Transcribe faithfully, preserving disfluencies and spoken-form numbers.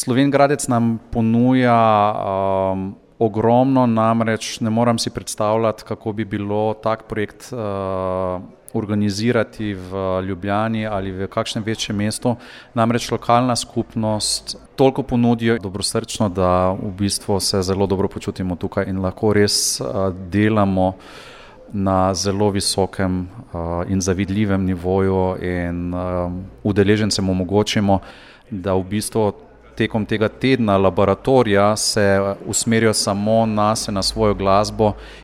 Slovenj Gradec nam ponuja um, ogromno, namreč ne moram si predstavljati, kako bi bilo tak projekt uh, organizirati v Ljubljani ali v kakšnem večjem mestu. Namreč lokalna skupnost toliko ponudijo dobrosrčno, da v bistvu se zelo dobro počutimo tukaj in lahko res uh, delamo na zelo visokem uh, in zavidljivem nivoju in uh, udeležencem omogočimo, da v bistvu tekom tega tedna laboratorija se usmerijo samo na se, na svojo glasbo